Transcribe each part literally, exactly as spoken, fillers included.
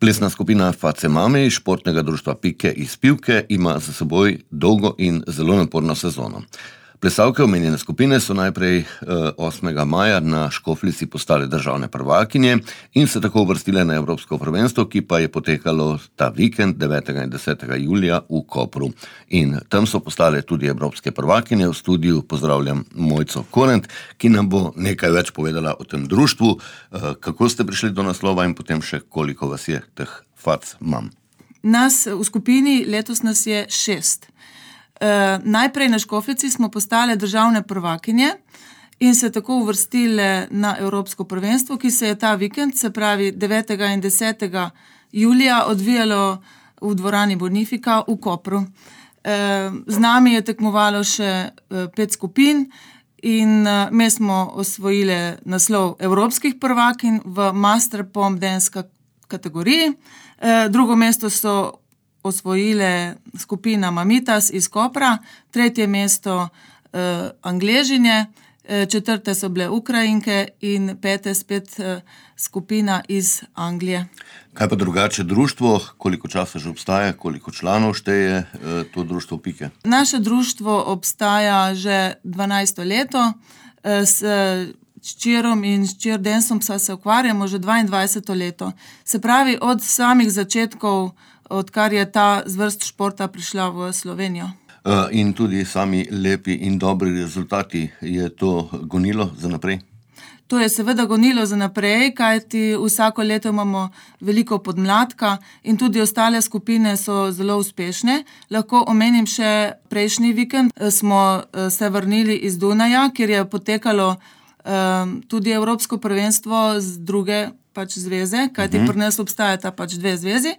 Plesna skupina Face Mami iz športnega društva Pike iz Pivke ima za seboj dolgo in zelo naporno sezono. Plesalke omenjene skupine so najprej osmega maja na Škofljici postale državne prvakinje in se tako uvrstile na evropsko prvenstvo, ki pa je potekalo ta vikend devetega in desetega julija v Kopru. In tam so postale tudi evropske prvakinje. V studiu pozdravljam Mojco Korent, ki nam bo nekaj več povedala o tem društvu, kako ste prišli do naslova in potem še koliko vas je teh Fac Mam. Nas v skupini letos nas je šest. Uh, najprej na Škofljici smo postale državne prvakinje in se tako uvrstile na evropsko prvenstvo, ki se je ta vikend, se pravi devetega in desetega julija, odvijalo v dvorani Bonifika v Kopru. Uh, z nami je tekmovalo še uh, pet skupin in uh, mi smo osvojili naslov evropskih prvakinj v Master Pom Dance kategoriji. Uh, drugo mesto so osvojile skupina Mamitas iz Kopra, tretje mesto eh, Angležinje, eh, četrte so bile Ukrajinke in pete spet eh, skupina iz Anglije. Kaj pa drugače društvo? Koliko časa že obstaja? Koliko članov šteje eh, to društvo Pike? Naše društvo obstaja že dvanajsto leto. Eh, s S čirom in s čir danceom se ukvarjamo že dvaindvajseto leto. Se pravi, od samih začetkov, odkar je ta zvrst športa prišla v Slovenijo. Uh, in tudi sami lepi in dobri rezultati, je to gonilo za naprej? To je seveda gonilo za naprej, kajti vsako leto imamo veliko podmladka in tudi ostale skupine so zelo uspešne. Lahko omenim še prejšnji vikend. Smo se vrnili iz Dunaja, kjer je potekalo um, tudi evropsko prvenstvo z druge pač zveze, kajti uh-huh. pri nas obstajata pač dve zvezi.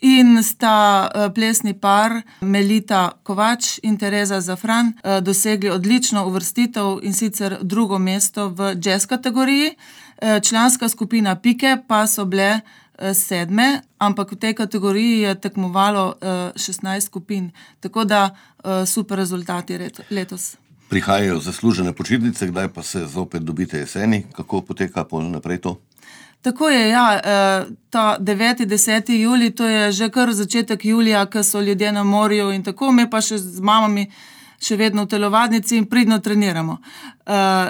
In sta uh, plesni par Melita Kovač in Tereza Zafran uh, dosegli odlično uvrstitev in sicer drugo mesto v jazz kategoriji. Uh, članska skupina Pike pa so bile uh, sedme, ampak v tej kategoriji je tekmovalo uh, šestnajst skupin. Tako da uh, super rezultati letos. Prihajajo zaslužene počitnice, kdaj pa se zopet dobite jeseni? Kako poteka naprej to? Tako je, ja, ta deveti, deseti julij, to je že kar začetek julija, ko so ljudje na morju in tako, mi pa še z mamami še vedno v telovadnici in pridno treniramo.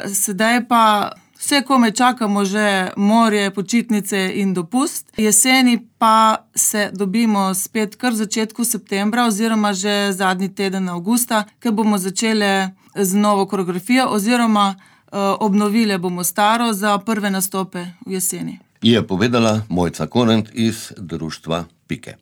Sedaj pa vse kome čakamo že morje, počitnice in dopust. Jeseni pa se dobimo spet kar v začetku septembra oziroma že zadnji teden avgusta, ker bomo začeli z novo koreografijo oziroma obnovile bomo staro za prve nastope v jeseni. Je povedala Mojca Korent iz društva Pike.